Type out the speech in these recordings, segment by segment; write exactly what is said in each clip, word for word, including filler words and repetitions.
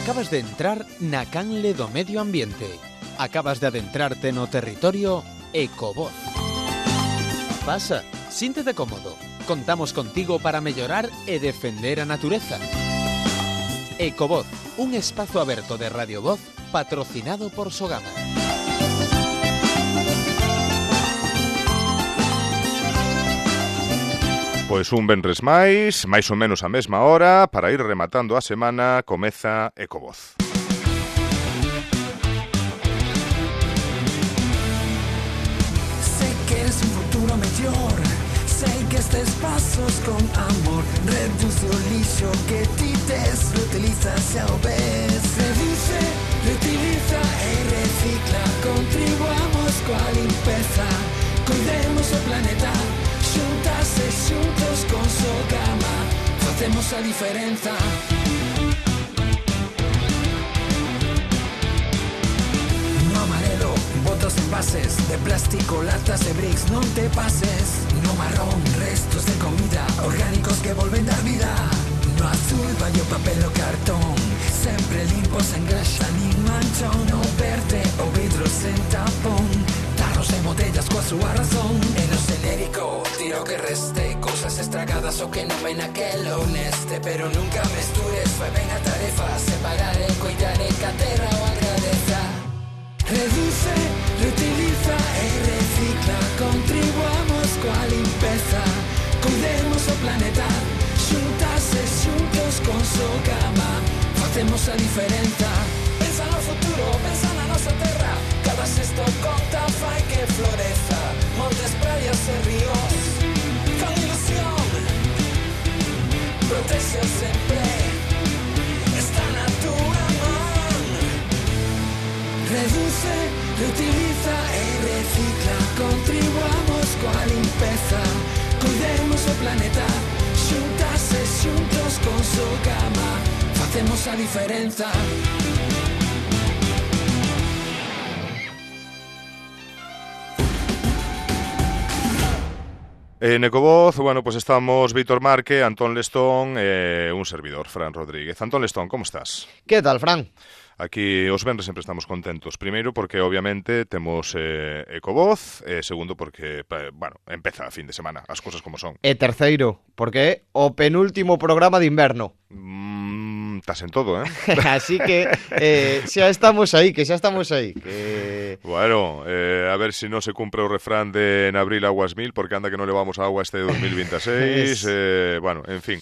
Acabas de entrar na canle do medio ambiente. Acabas de adentrarte no territorio Ecovoz. Pasa, síntete cómodo. Contamos contigo para mellorar e defender a natureza. Ecovoz, un espazo aberto de Radio Voz patrocinado por Sogama. Pois un venres máis, máis ou menos a mesma hora, para ir rematando a semana, comeza Ecovoz. Sei que es un futuro mellor, sei que estes pasos con amor, reduce o lixo que ti tes, reutiliza xa o ves. Reduce, reutiliza e recicla, contribuamos coa limpeza, cuidemos o planeta. Xuntas e xuntos con Sogama facemos a diferenza. No amarelo, botos envases de plástico, latas e bricks, non te pases. No marrón, restos de comida orgánicos que volven dar vida. No azul, vai o papel o cartón, sempre limpo, sen graxa nin manchón. No verde, o vidro sen tapón, tarros e botellas coa súa razón. E no xenérico, tiro que reste, cousas estragadas o que non ven aquelo neste. Pero nunca mestures, fai ben a tarefa, separar e coidar e que a terra o agradeza. Reduce, reutiliza e recicla, contribuamos coa limpeza, cuidemos o planeta, xuntas e xuntos con Sogama facemos a diferenza. Pensa no futuro, pensa na nosa terra, cada xesto conta, fai que floreza. Montes, praias e ríos, con ilusión, protexeo sempre, está na túa man. Reduce, reutiliza e recicla, contribuamos coa limpeza, cuidemos o planeta, xuntas e xuntos con Sogama facemos a diferenza. En Ecovoz, bueno, pues estamos Víctor Marque, Antón Lestón e eh, un servidor, Fran Rodríguez. Antón Lestón, como estás? Que tal, Fran? Aquí os venres sempre estamos contentos. Primeiro porque obviamente temos eh, Ecovoz, e eh, segundo porque, eh, bueno, empeza a fin de semana, as cousas como son. E terceiro, porque é o penúltimo programa de inverno. Mm, estás en todo, eh? Así que eh, xa estamos aí, que xa estamos aí. Que... Bueno, eh, a ver se si non se cumpre o refrán de en abril aguas mil, porque anda que non levamos agua este dos mil veintiséis. eh, bueno, en fin.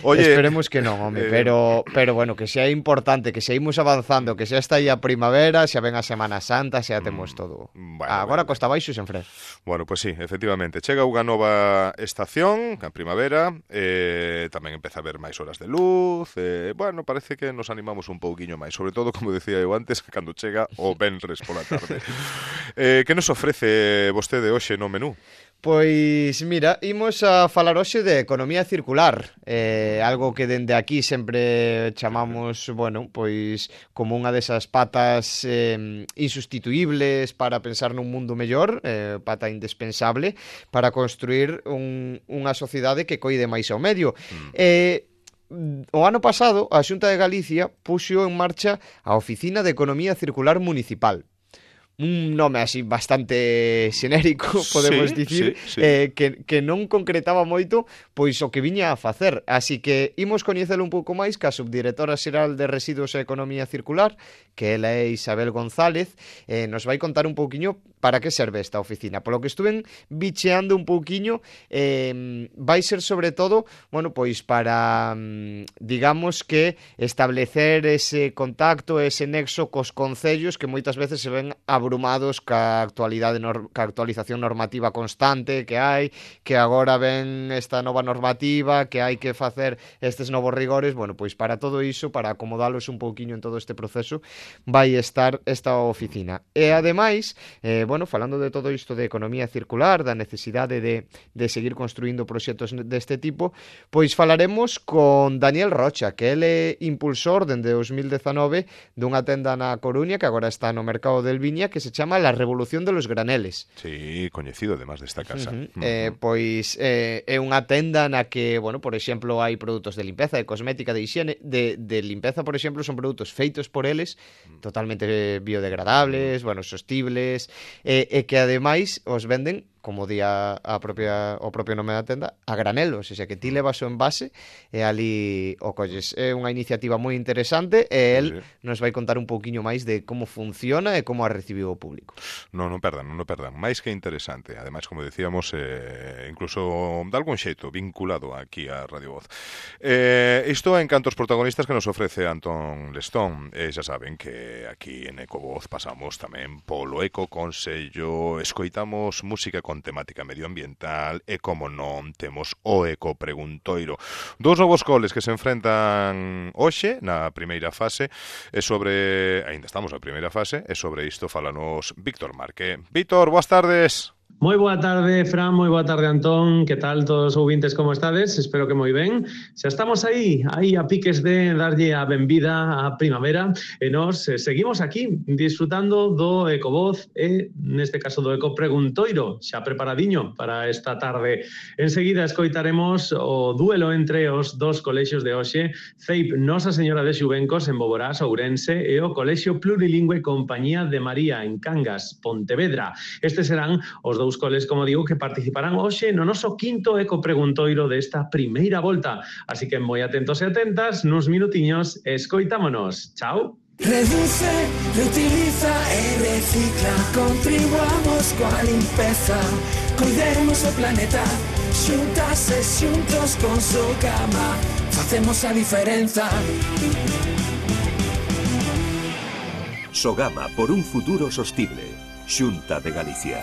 Oye, esperemos que non, home, eh... pero, pero bueno, que xa é importante, que xa imos avanzando, que xa está aí a primavera, xa ven a Semana Santa, xa temos todo. Bueno, agora bueno. Costa Baixo sen Fred. Bueno, pues sí, efectivamente. Chega unha nova estación, a primavera, eh, tamén empeza a haber máis horas de luz, eh, bueno, parece que nos animamos un pouquiño máis, sobre todo, como decía eu antes, cando chega o venres pola tarde. eh, que nos ofrece vostede hoxe no menú? Pois, mira, imos a falar hoxe de economía circular, eh, algo que dende aquí sempre chamamos, bueno, pois como unha desas patas eh, insustituibles para pensar nun mundo mellor, eh, pata indispensable para construir un, unha sociedade que coide máis ao medio. Mm. Eh, o ano pasado, a Xunta de Galicia puxo en marcha a Oficina de Economía Circular Municipal. Un nome así bastante xenérico, podemos sí, dicir, sí, sí. Eh, que, que non concretaba moito pois o que viña a facer. Así que imos coñecelo un pouco máis ca subdirectora xeral de Residuos e Economía Circular, que ela é Isabel González, eh, nos vai contar un pouquiño para que serve esta oficina. Polo que estuven bicheando un pouquiño, eh, vai ser sobre todo, bueno, pois para, digamos que establecer ese contacto, ese nexo cos concellos que moitas veces se ven a abrumados ca actualidade nor- ca actualización normativa constante que hai, que agora ven esta nova normativa, que hai que facer estes novos rigores. Bueno, pois para todo iso, para acomodalos un pouquiño en todo este proceso, vai estar esta oficina. E ademais, eh, bueno, falando de todo isto de economía circular, da necesidade de, de seguir construindo proxectos deste tipo, pois falaremos con Daniel Rocha, que ele é impulsor dende dos mil dezanove dunha tenda na Coruña, que agora está no mercado del Viña, que se chama La Revolución de los Graneles. Sí, coñecido además desta casa. Uh -huh. Uh -huh. eh, pois eh, é unha tenda na que, bueno, por exemplo, hai produtos de limpeza, de cosmética, de higiene, de, de limpeza, por exemplo, son produtos feitos por eles, totalmente biodegradables, bueno, sostibles, e, e que ademais os venden, como di a, a propia, o propio nome da tenda, a granelo, ou seja, que ti levas o envase e ali o colles. É unha iniciativa moi interesante e el sí, sí. nos vai contar un pouquiño máis de como funciona e como a recibiu o público. Non, non perdan, non perdan. Máis que interesante. Ademais, como decíamos, eh, incluso de algún xeito vinculado aquí a Radio Voz. Eh, isto en canto aos protagonistas que nos ofrece Antón Lestón. Eh, xa saben que aquí en Ecovoz pasamos tamén polo Eco Consello, escoitamos música con temática medioambiental e, como non, temos o Eco Preguntoiro. Dous novos coles que se enfrentan hoxe na primeira fase e sobre, aínda estamos na primeira fase, e sobre isto falanos Víctor Marque. Víctor, boas tardes. Moi boa tarde, Fran, moi boa tarde, Antón. Que tal todos os ouvintes, como estades? Espero que moi ben. Xa estamos aí, aí a piques de darlle a benvida á primavera e nos eh, seguimos aquí disfrutando do Ecovoz e, neste caso, do Eco Preguntoiro, xa preparadiño para esta tarde. Enseguida escoitaremos o duelo entre os dos colexios de hoxe, C E I P Nosa Señora de Xubencos en Boborás, Ourense, e o Colexio Plurilingüe Compañía de María en Cangas, Pontevedra. Estes serán os dous coles, como digo, que participarán hoxe no noso quinto Eco Preguntoiro desta primeira volta. Así que moi atentos e atentas, nuns minutiños, escoitámonos. Chao. Reduce, reutiliza e recicla. Contribuamos coa limpeza. Cuidemos o planeta. Xuntas e xuntos con Sogama facemos a diferenza. Sogama, por un futuro sostible. Xunta de Galicia.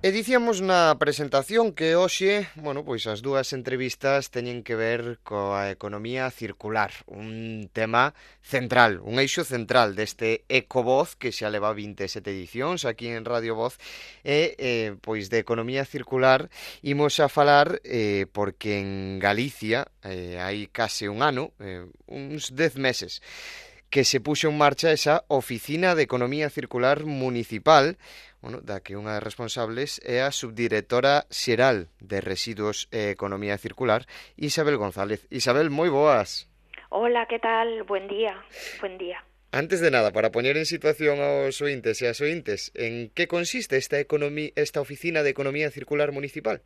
E dicíamos na presentación que hoxe, bueno, pois as dúas entrevistas teñen que ver coa economía circular, un tema central, un eixo central deste Ecovoz que xa leva vinte e sete edicións aquí en Radio Voz e, eh, pois de economía circular imos a falar eh, porque en Galicia eh, hai case un ano, eh, uns dez meses, que se puxo en marcha esa Oficina de Economía Circular Municipal, bueno, da que unha das responsables é a subdirectora xeral de Residuos e Economía Circular, Isabel González. Isabel, moi boas. Hola, que tal? Buen día. Buen día. Antes de nada, para poñer en situación aos ointes e as ointes, en que consiste esta, economía, esta Oficina de Economía Circular Municipal?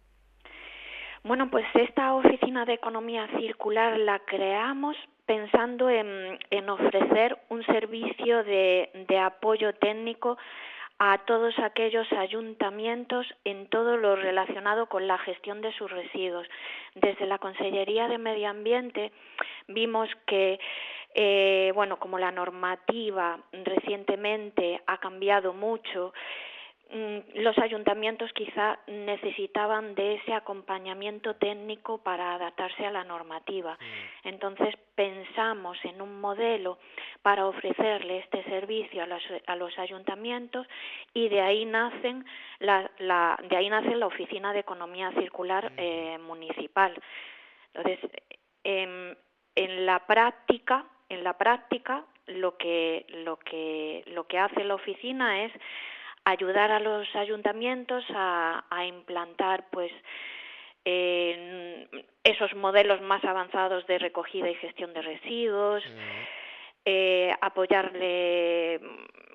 Bueno, pues esta Oficina de Economía Circular la creamos pensando en, en ofrecer un servicio de, de apoyo técnico a todos aquellos ayuntamientos en todo lo relacionado con la gestión de sus residuos. Desde la Consellería de Medio Ambiente vimos que, eh, bueno, como la normativa recientemente ha cambiado mucho, los ayuntamientos quizá necesitaban de ese acompañamiento técnico para adaptarse a la normativa. Entonces pensamos en un modelo para ofrecerle este servicio a los, a los ayuntamientos y de ahí nacen la, la, de ahí nace la Oficina de Economía Circular eh, Municipal. Entonces, en, en la práctica, en la práctica, lo que lo que lo que hace la oficina es ayudar a los ayuntamientos a, a implantar pues eh, esos modelos más avanzados de recogida y gestión de residuos, uh-huh. eh, apoyarle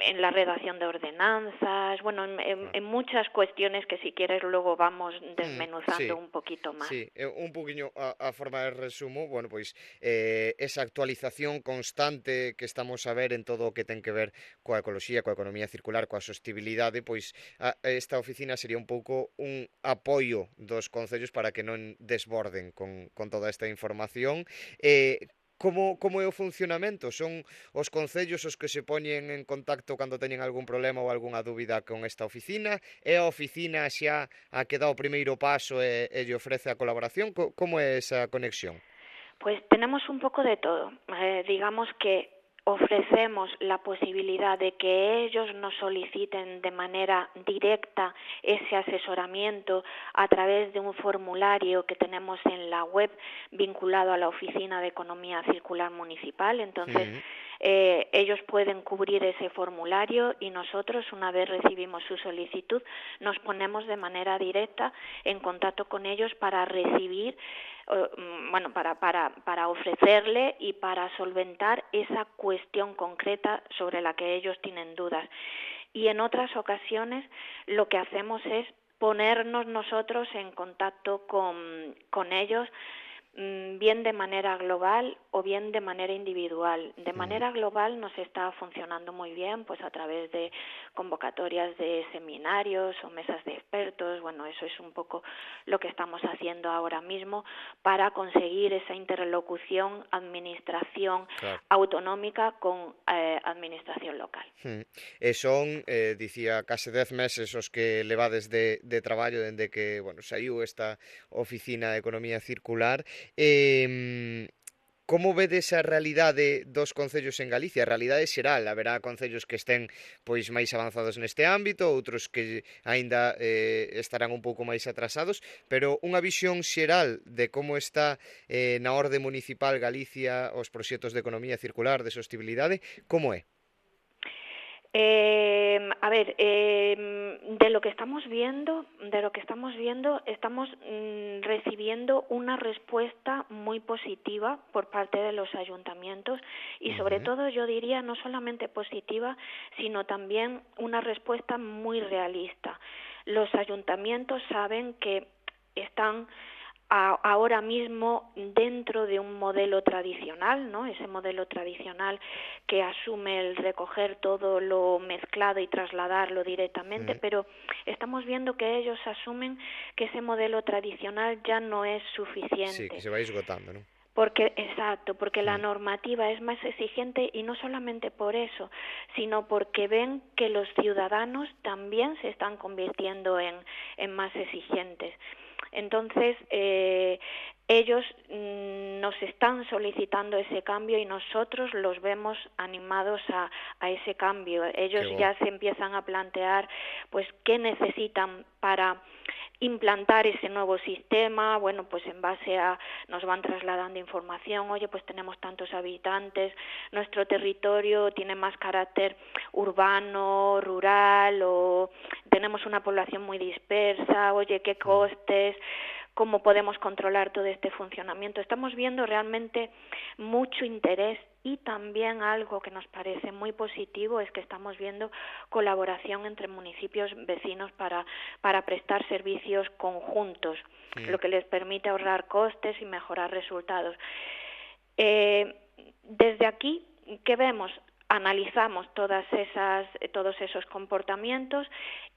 en la redacción de ordenanzas, bueno, en, en, en muchas cuestiones que si quieres luego vamos desmenuzando sí, un poquito más. Sí, un poquinho a, a forma de resumo, bueno, pois eh, esa actualización constante que estamos a ver en todo o que ten que ver coa ecoloxía, coa economía circular, coa sostibilidade, pois a, esta oficina sería un pouco un apoio dos concellos para que non desborden con, con toda esta información. Eh, Como, como é o funcionamento? Son os concellos os que se poñen en contacto cando teñen algún problema ou algunha dúbida con esta oficina? É a oficina xa a que dá o primeiro paso e, e lle ofrece a colaboración? Como é esa conexión? Pues tenemos un poco de todo. Eh, digamos que ofrecemos la posibilidad de que ellos nos soliciten de manera directa ese asesoramiento a través de un formulario que tenemos en la web vinculado a la Oficina de Economía Circular Municipal. Entonces, uh-huh. eh, ellos pueden cubrir ese formulario y nosotros, una vez recibimos su solicitud, nos ponemos de manera directa en contacto con ellos para recibir, eh, bueno, para, para, para ofrecerle y para solventar esa cuestión concreta sobre la que ellos tienen dudas. Y en otras ocasiones lo que hacemos es ponernos nosotros en contacto con, con ellos, bien de manera global o bien de manera individual. De manera global nos está funcionando muy bien, pues a través de convocatorias de seminarios o mesas de expertos. Bueno, eso es un poco lo que estamos haciendo ahora mismo para conseguir esa interlocución administración claro. autonómica con eh, administración local. Hmm. E son, eh, dicía, case dez meses os que levades de, de traballo dende que, bueno, saiu esta oficina de economía circular. Eh, como vedes a realidade dos concellos en Galicia? A realidade xeral, haberá concellos que estén pois máis avanzados neste ámbito, outros que aínda eh, estarán un pouco máis atrasados, pero unha visión xeral de como está eh, na orde municipal Galicia os proxectos de economía circular, de sostibilidade, como é? Eh, a ver, eh, de lo que estamos viendo, de lo que estamos viendo, estamos mm, recibiendo una respuesta muy positiva por parte de los ayuntamientos y uh-huh. sobre todo yo diría no solamente positiva, sino también una respuesta muy realista. Los ayuntamientos saben que están ahora mismo dentro de un modelo tradicional, ¿no? Ese modelo tradicional que asume el recoger todo lo mezclado y trasladarlo directamente, mm. pero estamos viendo que ellos asumen que ese modelo tradicional ya no es suficiente. Sí, que se va esgotando, ¿no? Porque, exacto, porque mm. la normativa es más exigente y no solamente por eso, sino porque ven que los ciudadanos también se están convirtiendo en, en más exigentes. Entonces, eh, ellos mm, nos están solicitando ese cambio y nosotros los vemos animados a, a ese cambio. Ellos bueno. ya se empiezan a plantear, pues, qué necesitan para implantar ese nuevo sistema. Bueno, pues en base a, nos van trasladando información, oye, pues tenemos tantos habitantes, nuestro territorio tiene más carácter urbano, rural, o tenemos una población muy dispersa, oye, qué costes, cómo podemos controlar todo este funcionamiento. Estamos viendo realmente mucho interés y también algo que nos parece muy positivo es que estamos viendo colaboración entre municipios vecinos para, para prestar servicios conjuntos, sí. lo que les permite ahorrar costes y mejorar resultados. Eh, desde aquí, ¿qué vemos? Analizamos todas esas, todos esos comportamientos,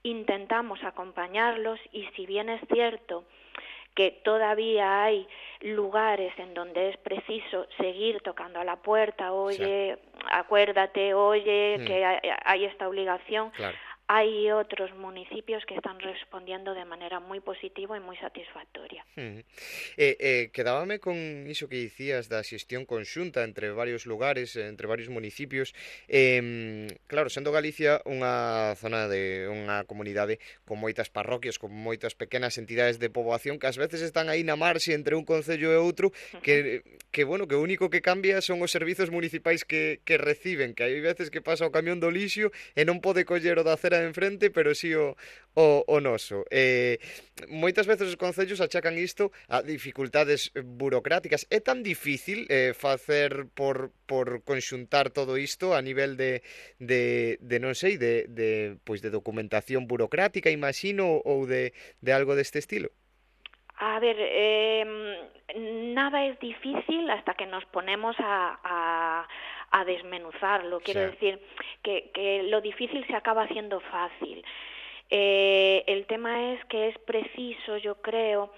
intentamos acompañarlos y si bien es cierto que todavía hay lugares en donde es preciso seguir tocando a la puerta, oye, sí. acuérdate, oye, mm. que hay, hay esta obligación. Claro. Hay otros municipios que están respondiendo de maneira moi positiva e moi satisfactoria. Uh-huh. Eh, eh, quedábame con iso que dicías da xestión conxunta entre varios lugares, entre varios municipios. Eh, claro, sendo Galicia unha zona de unha comunidade con moitas parroquias, con moitas pequenas entidades de poboación que ás veces están aí na marxe entre un concello e outro, que, que bueno, que o único que cambia son os servizos municipais que, que reciben, que hai veces que pasa o camión do lixo e non pode coller o da acera de enfrente, pero si o, o, o noso. Eh, moitas veces os concellos achacan isto a dificultades burocráticas. É tan difícil eh, facer por, por conxuntar todo isto a nivel de, de, de non sei, de, de, pois de documentación burocrática, imagino, ou de, de algo deste estilo? A ver, eh, nada es difícil hasta que nos ponemos a... a... a desmenuzarlo, quiero sí. decir que, que lo difícil se acaba haciendo fácil. Eh, el tema es que es preciso, yo creo,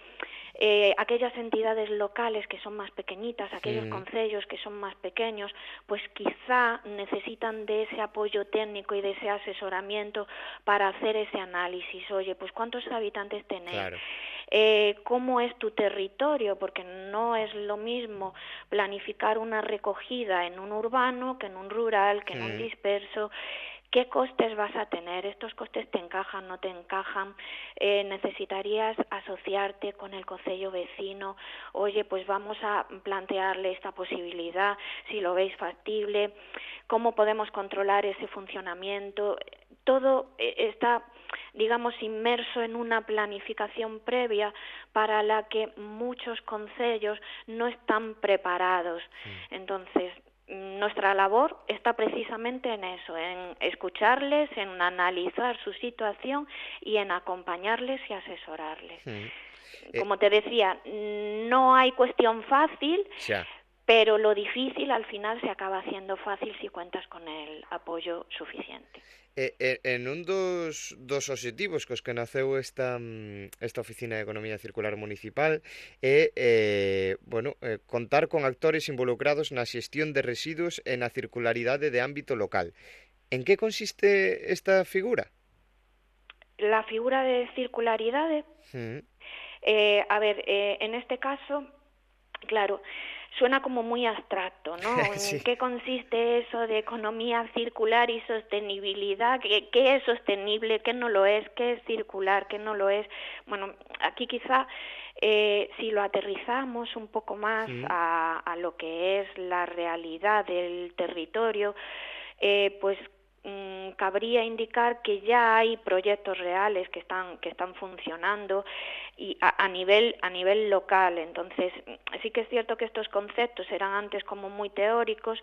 eh, aquellas entidades locales que son más pequeñitas, aquellos sí. concellos que son más pequeños, pues quizá necesitan de ese apoyo técnico y de ese asesoramiento para hacer ese análisis. Oye, pues ¿cuántos habitantes tenéis? Claro. Eh, ¿Cómo es tu territorio? Porque no es lo mismo planificar una recogida en un urbano que en un rural, que en mm. un disperso, ¿Qué costes vas a tener? ¿Estos costes te encajan, no te encajan? Eh, ¿Necesitarías asociarte con el concello vecino? Oye, pues vamos a plantearle esta posibilidad, si lo veis factible. ¿Cómo podemos controlar ese funcionamiento? Todo está, digamos, inmerso en una planificación previa para la que muchos concellos no están preparados. Entonces, nuestra labor está precisamente en eso, en escucharles, en analizar su situación y en acompañarles y asesorarles. Sí. Como te decía, no hay cuestión fácil, ya. Pero lo difícil al final se acaba haciendo fácil si cuentas con el apoyo suficiente. Eh, en un dos, dos obxectivos cos que naceu esta, esta Oficina de Economía Circular Municipal é eh, bueno, eh, contar con actores involucrados na xestión de residuos e na circularidade de ámbito local. En que consiste esta figura? La figura de circularidade, mm. eh, a ver, eh, en este caso, claro, suena como muy abstracto, ¿no? Sí. ¿En qué consiste eso de economía circular y sostenibilidad? ¿Qué, qué es sostenible? ¿Qué no lo es? ¿Qué es circular? ¿Qué no lo es? Bueno, aquí quizá eh, si lo aterrizamos un poco más sí. a, a lo que es la realidad del territorio, eh, pues mmm, cabría indicar que ya hay proyectos reales que están que están funcionando y a, a nivel a nivel local. Entonces sí que es cierto que estos conceptos eran antes como muy teóricos,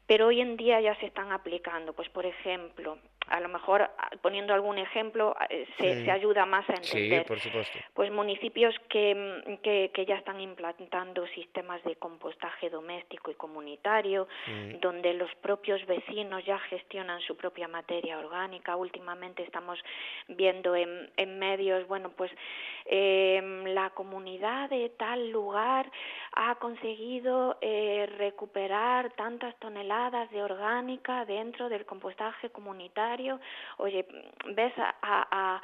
pero hoy en día ya se están aplicando. Pues por ejemplo, a lo mejor poniendo algún ejemplo se, sí. se ayuda más a entender. Sí, por supuesto. Pues municipios que, que, que ya están implantando sistemas de compostaje doméstico y comunitario, mm. donde los propios vecinos ya gestionan su propia materia orgánica. Últimamente estamos viendo en, en medios, bueno, pues eh, la comunidad de tal lugar ha conseguido eh, recuperar tantas toneladas de orgánica dentro del compostaje comunitario. Oye, ves a, a,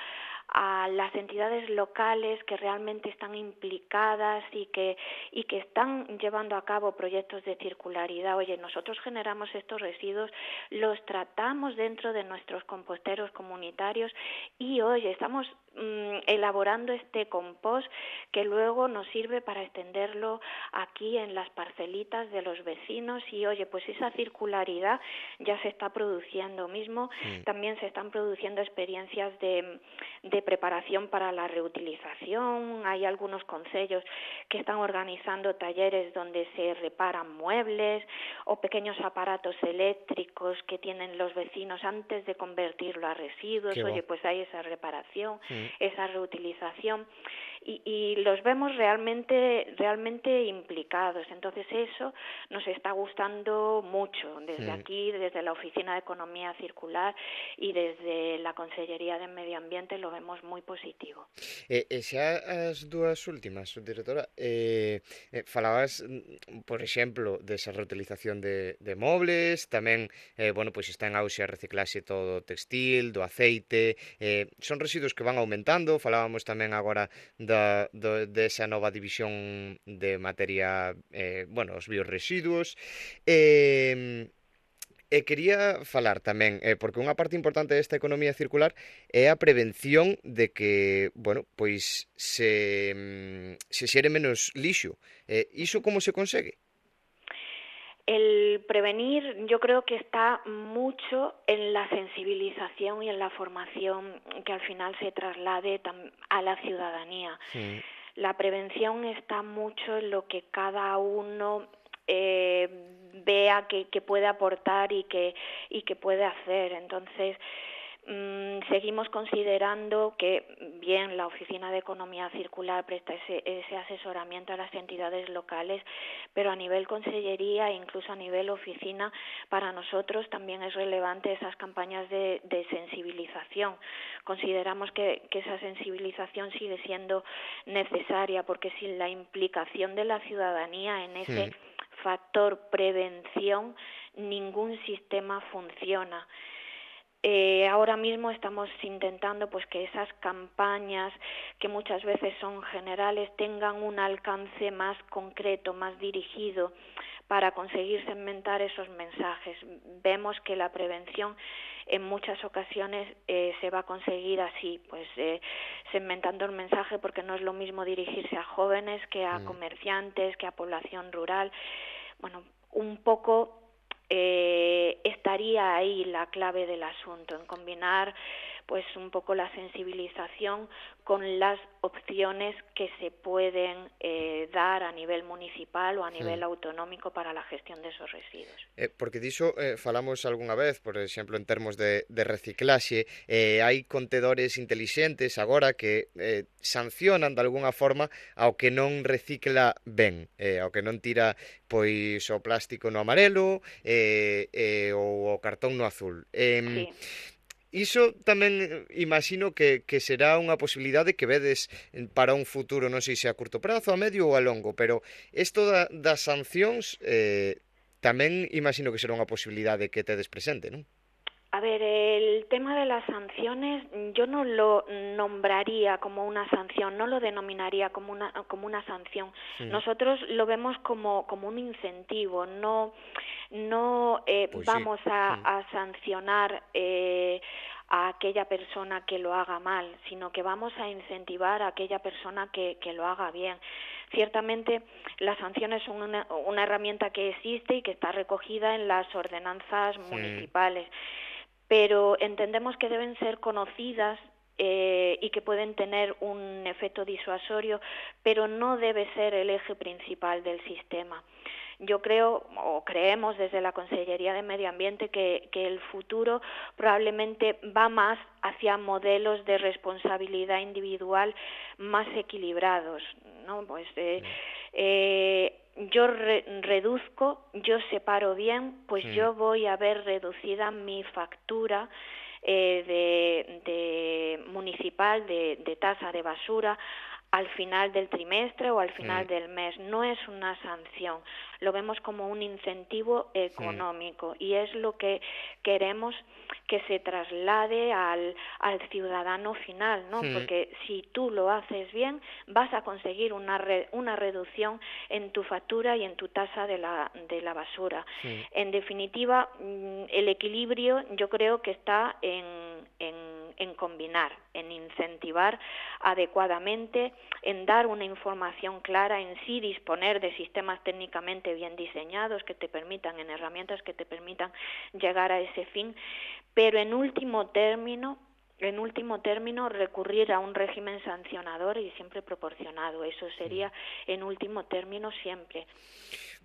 a las entidades locales que realmente están implicadas y que y que están llevando a cabo proyectos de circularidad. Oye, nosotros generamos estos residuos, los tratamos dentro de nuestros composteros comunitarios y, oye, estamos mmm, elaborando este compost que luego nos sirve para extenderlo aquí en las parcelitas de los vecinos y, oye, pues esa circularidad ya se está produciendo mismo. Sí. También se están produciendo experiencias de, de preparación para la reutilización. Hay algunos concellos que están organizando talleres donde se reparan muebles o pequeños aparatos eléctricos que tienen los vecinos antes de convertirlo a residuos. Qué Oye, va. Pues hay esa reparación, sí. esa reutilización y, y los vemos realmente realmente implicados. Entonces eso nos está gustando mucho desde sí. aquí, desde la Oficina de Economía Circular y desde la Consellería de Medio Ambiente lo vemos moi positivo. E, e xa as dúas últimas, subdirectora, eh, eh, falabas, por exemplo, desa reutilización de, de mobles, tamén, eh, bueno, pois está en auxe a reciclaxe todo textil, do aceite, eh, son residuos que van aumentando, falábamos tamén agora da, do, desa nova división de materia, eh, bueno, os biorresiduos, eh, E quería falar tamén, eh, porque unha parte importante desta economía circular é a prevención de que, bueno, pois se, se xere menos lixo. Eh, iso como se consegue? El prevenir yo creo que está mucho en la sensibilización y en la formación que al final se traslade a la ciudadanía. Sí. La prevención está mucho en lo que cada uno eh, vea que, que puede aportar y que, y que puede hacer. Entonces, mmm, seguimos considerando que, bien, la Oficina de Economía Circular presta ese, ese asesoramiento a las entidades locales, pero a nivel consellería e incluso a nivel oficina, para nosotros también es relevante esas campañas de, de sensibilización. Consideramos que, que esa sensibilización sigue siendo necesaria, porque sin la implicación de la ciudadanía en ese sí. factor prevención, ningún sistema funciona. Eh, ahora mismo estamos intentando pues que esas campañas, que muchas veces son generales, tengan un alcance más concreto, más dirigido, para conseguir segmentar esos mensajes. Vemos que la prevención en muchas ocasiones eh, se va a conseguir así, pues eh, segmentando el mensaje, porque no es lo mismo dirigirse a jóvenes que a comerciantes, que a población rural. Bueno, un poco eh, estaría ahí la clave del asunto, en combinar pues un poco la sensibilización con las opciones que se pueden eh, dar a nivel municipal ou a nivel hmm. autonómico para a gestión de esos residuos. Eh, porque diso eh, falamos algunha vez, por exemplo, en termos de, de reciclaxe, eh, hai contedores intelixentes agora que eh, sancionan de alguna forma ao que non recicla ben, eh, ao que non tira pois o plástico no amarelo eh, eh, ou o cartón no azul. Eh, sí. Iso tamén imagino que, que será unha posibilidade que vedes para un futuro, non sei se a curto prazo, a medio ou a longo, pero isto da, das sancións eh, tamén imagino que será unha posibilidade que tedes presente, non? A ver, el tema de las sanciones yo no lo nombraría como una sanción, no lo denominaría como una como una sanción. Sí. Nosotros lo vemos como como un incentivo, no no eh, pues vamos sí. a, sí. a sancionar eh, a aquella persona que lo haga mal, sino que vamos a incentivar a aquella persona que, que lo haga bien. Ciertamente, las sanciones son una, una herramienta que existe y que está recogida en las ordenanzas sí. municipales, pero entendemos que deben ser conocidas eh, y que pueden tener un efecto disuasorio, pero no debe ser el eje principal del sistema. Yo creo, o creemos desde la Consellería de Medio Ambiente, que, que el futuro probablemente va más hacia modelos de responsabilidad individual más equilibrados, ¿no? Pues eh, eh, yo re, reduzco, yo separo bien, pues sí. yo voy a ver reducida mi factura eh, de, de municipal de, de tasa de basura al final del trimestre o al final sí. del mes. No es una sanción, lo vemos como un incentivo económico sí. y es lo que queremos que se traslade al, al ciudadano final, ¿no? Sí. Porque si tú lo haces bien, vas a conseguir una re, una reducción en tu factura y en tu tasa de la, de la basura. Sí. En definitiva, el equilibrio yo creo que está en, en, en combinar, en incentivar adecuadamente, en dar una información clara, en sí disponer de sistemas técnicamente bien diseñados que te permitan, en herramientas que te permitan llegar a ese fin, pero en último término, en último término recurrir a un régimen sancionador y siempre proporcionado. Eso sería en último término siempre.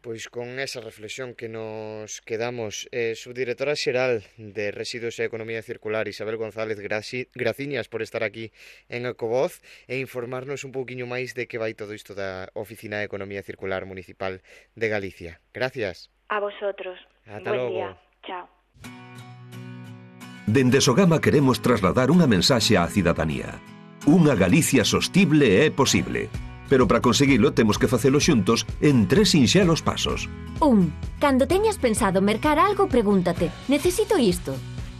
Pois con esa reflexión que nos quedamos, eh, subdirectora xeral de Residuos e Economía Circular, Isabel González, graci, graciñas por estar aquí en Ecovoz e informarnos un pouquiño máis de que vai todo isto da Oficina de Economía Circular Municipal de Galicia. Gracias. A vosotros. Ata Buen logo. Día. Chao. Dende Sogama queremos trasladar unha mensaxe á cidadanía. Unha Galicia sostible é posible. Pero para conseguilo temos que facelo xuntos en tres sinxelos pasos. Un. Cando teñas pensado mercar algo, pregúntate: necesito isto?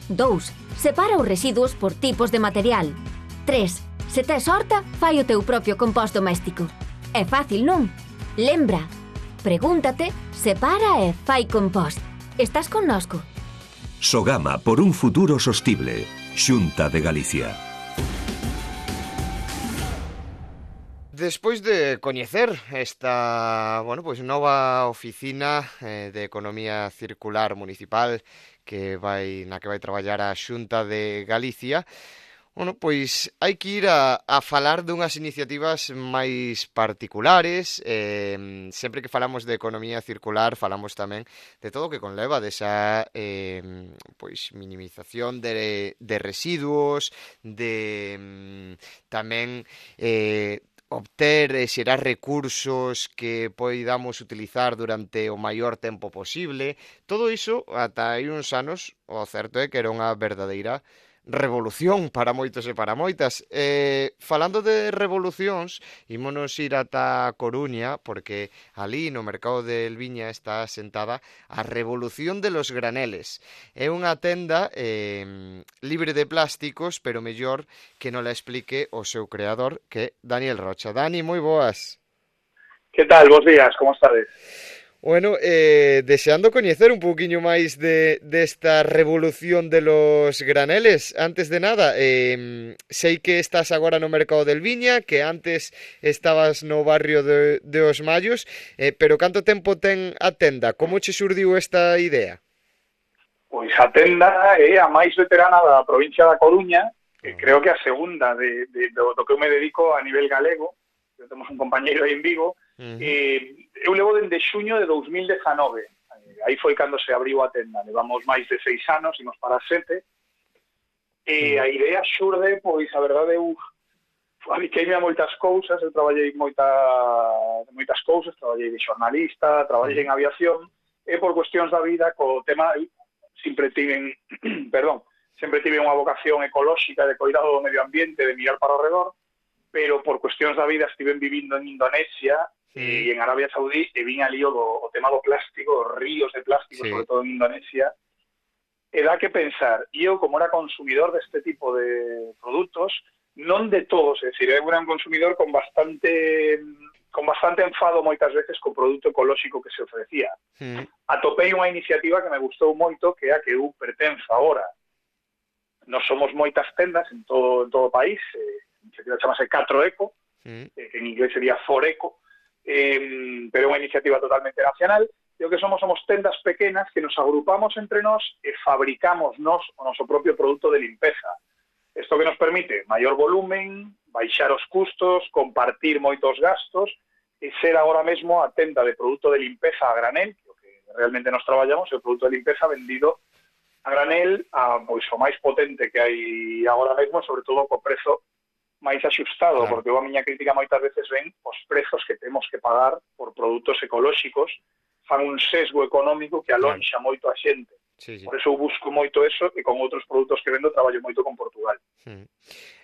Dous. Separa os residuos por tipos de material. Tres. Se tes horta, fai o teu propio compost doméstico. É fácil, non? Lembra. Pregúntate, separa e fai compost. Estás connosco? Sogama por un futuro sostible. Xunta de Galicia. Despois de coñecer esta, bueno, pois nova oficina eh, de Economía Circular Municipal que vai na que vai traballar a Xunta de Galicia, bueno, pois hai que ir a, a falar dunhas iniciativas máis particulares. Eh, sempre que falamos de economía circular falamos tamén de todo o que conleva desa eh, pois minimización de, de residuos, de tamén eh, obter e xerar recursos que poidamos utilizar durante o maior tempo posible. Todo iso, ata hai uns anos, o certo é que era unha verdadeira revolución para moitos e para moitas. Eh, falando de revolucións, ímonos ir ata Coruña, porque ali no mercado de Elviña está sentada a Revolución de los Graneles. É unha tenda eh, libre de plásticos, pero mellor que non la explique o seu creador, que é Daniel Rocha. Dani, moi boas. Que tal? Bos días, como estades? Bueno, eh, deseando coñecer un pouquiño máis de desta revolución de los graneles. Antes de nada, eh, sei que estás agora no mercado del Viña, que antes estabas no barrio de, de Os Mallos, eh, pero canto tempo ten a tenda? Como che xurdiu esta idea? Pois a tenda é a máis veterana da provincia da Coruña, que creo que a segunda de, de, do, do que eu me dedico a nivel galego. Temos un compañeiro aí en Vigo. Uh-huh. eh, eu levo dende xuño de dous mil dezanove, eh, aí foi cando se abriu a tenda, levamos máis de seis anos, imos para sete, e uh-huh. a idea xurde, pois a verdade eu adiqueime a moitas cousas, eu traballei moita, moitas cousas, traballei de xornalista, traballei uh-huh. en aviación, e por cuestións da vida, co tema, sempre tiven, perdón, sempre tive unha vocación ecolóxica de cuidado do medio ambiente, de mirar para o redor, pero por cuestións da vida estiven vivindo en Indonesia sí. e en Arabia Saudí, e vin ali o, do, o tema do plástico, os ríos de plástico, sí. sobre todo en Indonesia, e dá que pensar, e eu como era consumidor deste tipo de produtos, non de todos, é dicir, eu era un consumidor con bastante con bastante enfado moitas veces co produto ecolóxico que se ofrecía. Sí. Atopei unha iniciativa que me gustou moito, que é a que eu pertenzo agora. Nos somos moitas tendas en todo, en todo o país, eh, a iniciativa chamase catro eco, mm. eh, que en inglés sería four eco, eh, pero é unha iniciativa totalmente nacional, e o que somos somos tendas pequenas que nos agrupamos entre nós e fabricamos nós o noso propio produto de limpeza. Isto que nos permite maior volumen, baixar os custos, compartir moitos gastos e ser agora mesmo a tenda de produto de limpeza a granel, que o que realmente nos traballamos é o produto de limpeza vendido a granel, a, pois, o máis potente que hai agora mesmo, sobre todo co prezo máis axustado, claro. Porque a miña crítica moitas veces ven os prezos que temos que pagar por produtos ecolóxicos, fan un sesgo económico que alonxa claro. moito a xente. Sí, sí. Por eso eu busco moito eso e con outros produtos que vendo traballo moito con Portugal. Hmm.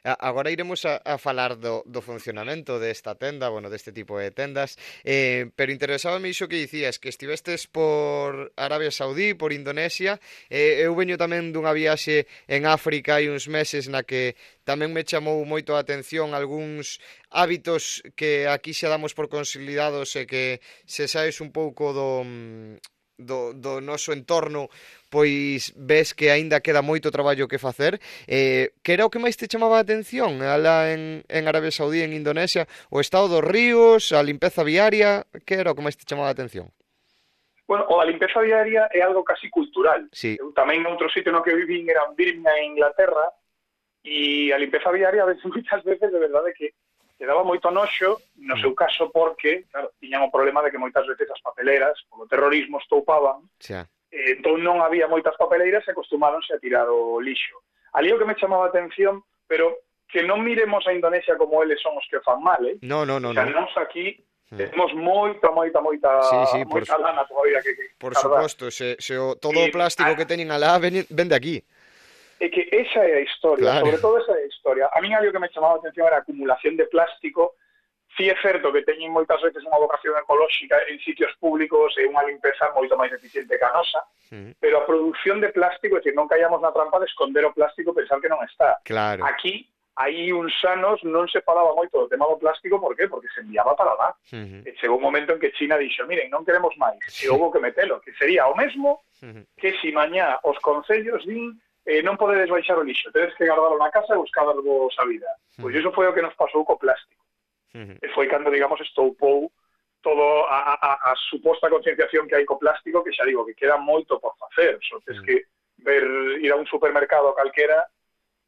Agora iremos a, a falar do, do funcionamento desta tenda, bueno, deste tipo de tendas, eh, pero interesábame iso que dicías, que estivestes por Arabia Saudí, por Indonesia, eh, eu veño tamén dunha viaxe en África hai uns meses na que tamén me chamou moito a atención algúns hábitos que aquí xa damos por consolidados e que se saes un pouco do... Do, do noso entorno, pois ves que aínda queda moito traballo que facer. Eh, que era o que máis te chamaba a atención alá en, en Arabia Saudí, en Indonesia? O estado dos ríos, a limpeza viaria, que era o que máis te chamaba a atención? Bueno, o a limpeza viaria é algo casi cultural. Sí. Eu tamén noutro sitio no que vivín era en Birmingham, en Inglaterra, e a limpeza viaria a veces, moitas veces, de verdade que que daba moito noxo, no seu caso porque, claro, tiñan o problema de que moitas veces as papeleras, polo terrorismo, estoupaban, xa. E entón non había moitas papeleiras e acostumáronse a tirar o lixo. Ali o que me chamaba a atención, pero que non miremos a Indonesia como eles son os que fan mal, eh? No, no, no. O sea, no. nos aquí temos moita, moita, moita, sí, sí, moita por lana todavía que, que Por suposto, se, se o, todo o plástico que teñen alá ven, ven de aquí. É que esa é a historia, claro. Sobre todo esa é a historia. A mí algo que me chamaba a atención era a acumulación de plástico. Si é certo que teñen moitas veces unha vocación ecolóxica en sitios públicos e unha limpeza moito máis eficiente que a nosa, sí. Pero a produción de plástico, é dicir, non caíamos na trampa de esconder o plástico e pensar que non está. Claro. Aquí, hai uns anos non se falaba moito do tema do plástico, por qué? Porque se enviaba para lá. Uh-huh. E chegou un momento en que China dixo, miren, non queremos máis, sí. E houve que metelo, que sería o mesmo uh-huh. que si mañá os concellos din eh, non podedes baixar o lixo, tedes que guardarlo na casa e buscarvos a vida. Uh-huh. Pois iso foi o que nos pasou co plástico. Uh-huh. E foi cando, digamos, estoupou todo a, a, a suposta concienciación que hai co plástico, que xa digo, que queda moito por facer. Só tes uh-huh. que ver, ir a un supermercado calquera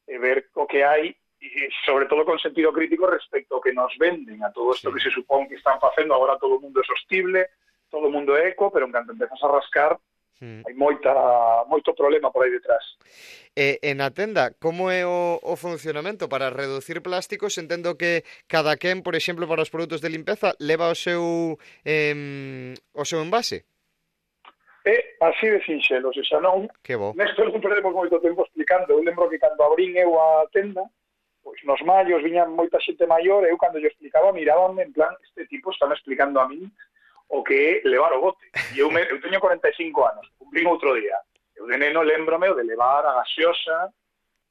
e ver o que hai, e sobre todo con sentido crítico respecto ao que nos venden, a todo isto sí. que se supón que están facendo. Agora todo o mundo é sostible, todo o mundo é eco, pero en canto empezas a rascar, Mm. hai moita, moito problema por aí detrás. E, e na tenda, como é o, o funcionamento? Para reducir plásticos, entendo que cada quen, por exemplo, para os produtos de limpeza, leva o seu eh, o seu envase? É así de sinxelo, se xa non, nesto non perdemos moito tempo explicando. Eu lembro que cando abrín eu a tenda, pois nos mallos viñan moita xente maior, e eu cando yo explicaba, mirábanme en plan, este tipo está me explicando a min o que é levar o bote. E eu, me, eu teño cuarenta e cinco anos, cumprín outro día. Eu de neno lembrome o de levar a gaseosa,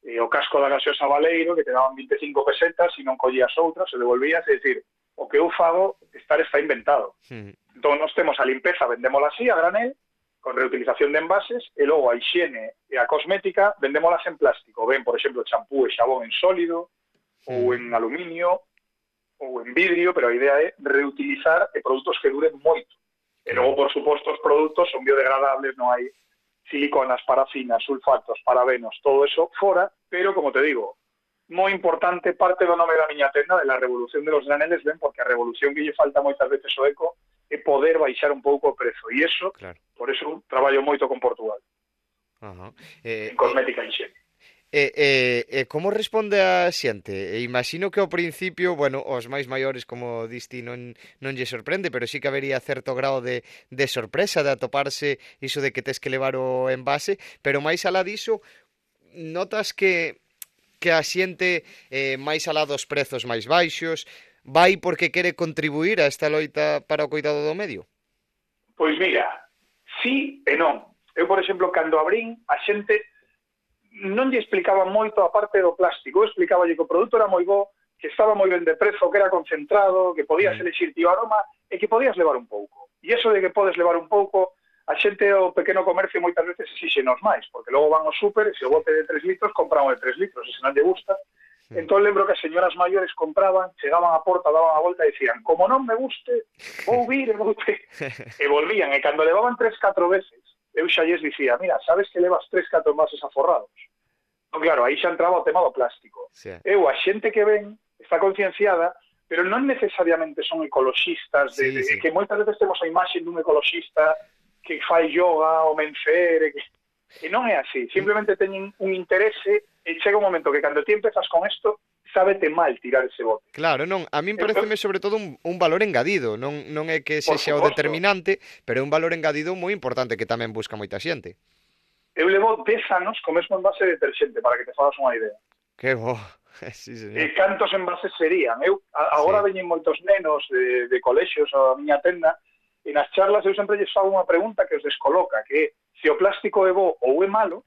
e o casco da gaseosa Valeiro, que te daban vinte e cinco pesetas, e non collías outras, se devolvías, é dicir, o que eu fago estar está inventado. Mm. Entón, nós temos a limpeza, vendémola así, a granel, con reutilización de envases, e logo a higiene e a cosmética vendémolas en plástico. Ven, por exemplo, champú e xabón en sólido, mm. ou en aluminio, ou en vidrio, pero a idea é reutilizar e produtos que duren moito. E logo, por suposto, os produtos son biodegradables, non hai siliconas, parafinas, sulfatos, parabenos, todo eso fora, pero, como te digo, moi importante, parte do nome da miña tenda, de la revolución de los graneles, ven, porque a revolución que lle falta moitas veces o eco é poder baixar un pouco o prezo, e iso, Claro. por eso traballo moito con Portugal, Ajá. Eh, en cosmética e higiene. E, e, e como responde a xente? E imagino que ao principio, bueno, os máis maiores, como diste, non, non lle sorprende, pero sí que habería certo grado de, de sorpresa de atoparse iso de que tes que levar o envase, pero máis alá diso, notas que, que a xente, eh, máis alá dos prezos máis baixos, vai porque quere contribuir a esta loita para o cuidado do medio? Pois mira, sí e non. Eu, por exemplo, cando abrín, a xente non lle explicaba moito a parte do plástico. Eu explicaballe que o produto era moi bo, que estaba moi ben de prezo, que era concentrado, que podías elixir ti o aroma e que podías levar un pouco. E iso de que podes levar un pouco, a xente o pequeno comercio moitas veces exíxenos máis, porque logo van ao súper e se o bote de tres litros, compran o de tres litros, e se non lle gusta. Entón lembro que as señoras maiores compraban, chegaban á porta, daban a volta e dicían, como non me guste, vou vir e vou te... e volvían, e cando levaban tres, catro veces, eu xa lles dicía, mira, sabes que levas tres, catro envases aforrados? Então, claro, aí xa entraba o tema do plástico. Sí. Eu, a xente que ven, está concienciada, pero non necesariamente son ecoloxistas, de, Sí, de, sí. que moitas veces temos a imaxe dun ecoloxista que fai yoga o mencer, e, que... e non é así, simplemente teñen un interese, e chega un momento que cando ti empezas con isto, sábete mal tirar ese bote. Claro, non, a min pareceme sobre todo un, un valor engadido, non, non é que Por sexa o suposto. determinante, pero é un valor engadido moi importante que tamén busca moita xente. Eu levo dez anos co mesmo envase de deterxente, para que te fagas unha idea. Que bo, sí, señor. E cantos envases serían? Eu, a, agora Sí. veñen moitos nenos de, de colexios a miña tenda, e nas charlas eu sempre lles fago unha pregunta que os descoloca, que é, se o plástico é bo ou é malo,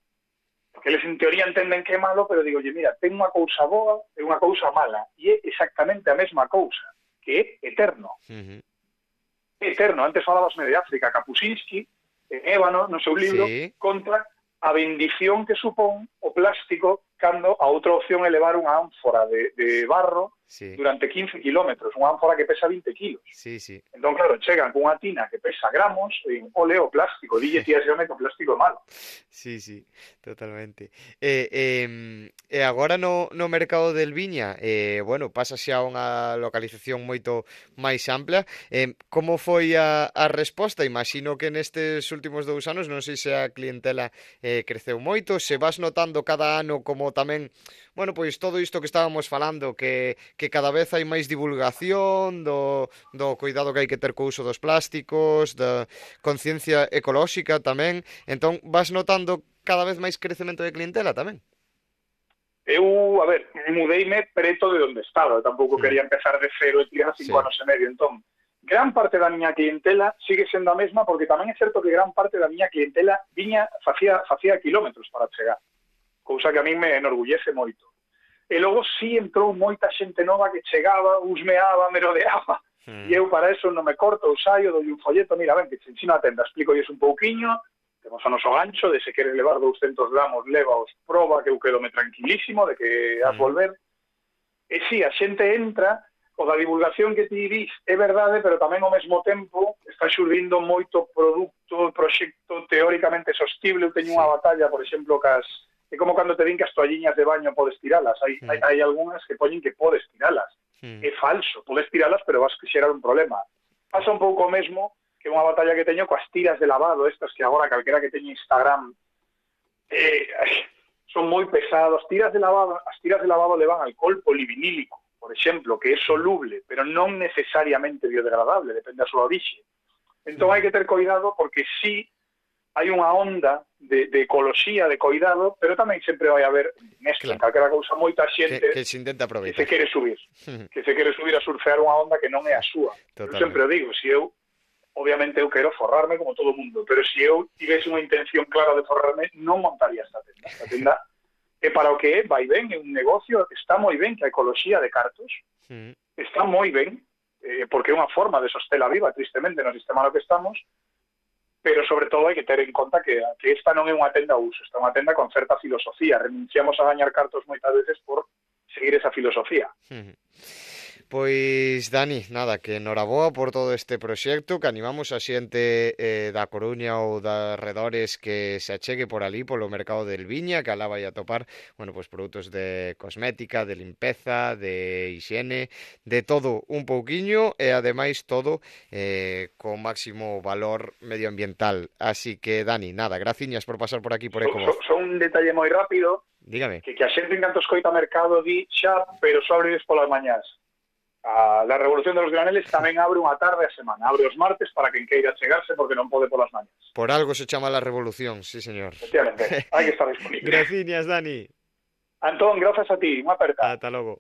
porque eles en teoría entenden que é malo, pero digo, mira, ten unha cousa boa e unha cousa mala, e é exactamente a mesma cousa, que é eterno. Uh-huh. É eterno. Antes falabasme de África, Kapuscinski, en Ébano, no seu libro, Sí. contra a bendición que supón o plástico cando a outra opción é levar unha ánfora de, de barro Sí, durante quince kilómetros, unha ánfora que pesa vinte kilos. sí, sí. Entón, claro, chegan cunha tina que pesa gramos e ole o plástico, dille tía xame que o plástico é malo. Sí, sí, totalmente. E, eh, e agora no, no mercado del Viña, eh, bueno, pasa xa a unha localización moito máis ampla. Eh, como foi a, a resposta? Imagino que nestes últimos dous anos, non sei se a clientela eh, creceu moito, se vas notando cada ano como tamén, bueno, pois todo isto que estábamos falando, que, que cada vez hai máis divulgación do, do cuidado que hai que ter co uso dos plásticos, da conciencia ecolóxica tamén, entón vas notando cada vez máis crecemento de clientela tamén. Eu, a ver, mudeime preto de onde estaba, eu tampouco Mm. quería empezar de cero e tirar cinco Sí. anos e medio, entón, gran parte da miña clientela sigue sendo a mesma, porque tamén é certo que gran parte da miña clientela viña, facía, facía kilómetros para chegar, cousa que a min me enorgullece moito. E logo sí entrou moita xente nova que chegaba, husmeaba, merodeaba, Mm. e eu para eso non me corto, eu saio, doi un folleto, mira, ven, que te ensino a tenda, explico un pouquiño, temos o noso gancho, de se queres levar douscentos gramos, levaos, proba, que eu quedome tranquilísimo, de que has Mm. volver. E sí, a xente entra, o da divulgación que ti dis é verdade, pero tamén ao mesmo tempo está xurdindo moito produto, proxecto teóricamente sostible. Eu teño Sí. unha batalla, por exemplo, cas... É como cando te din que as toalliñas de baño podes tiralas. Hai, Mm. hai, hai algunhas que poñen que podes tiralas. Mm. É falso, podes tiralas, pero vas a xerar un problema. Pasa un pouco o mesmo que unha batalla que teño coas tiras de lavado, estas que agora calquera que teña Instagram eh, son moi pesados. Tiras de lavado, as tiras de lavado levan alcohol polivinílico, por exemplo, que é soluble, pero non necesariamente biodegradable, depende da súa orixe. Entón hai que ter cuidado, porque sí hai unha onda de, de ecoloxía, de cuidado, pero tamén sempre vai haber, nesto, Claro. en calquera cousa, moita Que, xente que se intenta que se aproveitar. quere subir, que se quere subir a surfear unha onda que non é a súa. Eu Totalmente. sempre o digo, se eu, obviamente eu quero forrarme como todo o mundo, pero se eu tivese unha intención clara de forrarme, non montaría esta tenda. Esta tenda é para o que é, vai ben, é un negocio, está moi ben que a ecoloxía de cartos, Mm. está moi ben, eh, porque é unha forma de sostela viva, tristemente, no sistema no que estamos, pero sobre todo hai que ter en conta que, que esta non é unha tenda a uso, esta é unha tenda con certa filosofía, renunciamos a gañar cartos moitas veces por seguir esa filosofía. Uh-huh. Pois, Dani, nada, que noraboa por todo este proxecto, que animamos a xente eh, da Coruña ou da arredores que se achegue por ali, polo mercado del Viña, que alá vai a topar, bueno, pois produtos de cosmética, de limpeza, de higiene, de todo un pouquiño, e ademais todo eh, con máximo valor medioambiental. Así que, Dani, nada, graciñas por pasar por aquí por Ecovoz. Son so, so un detalle moi rápido, dígame. Que, que a xente en canto escoita mercado di xa, pero só abres polas mañás. A la Revolución de los Graneles tamén abre unha tarde a semana. Abre os martes para quen queira chegarse porque non pode polas mañas. Por algo se chama la Revolución, sí, señor. Efectivamente, hai que estar disponible. Graciñas, Dani. Antón, grazas a ti, unha aperta. Ata logo.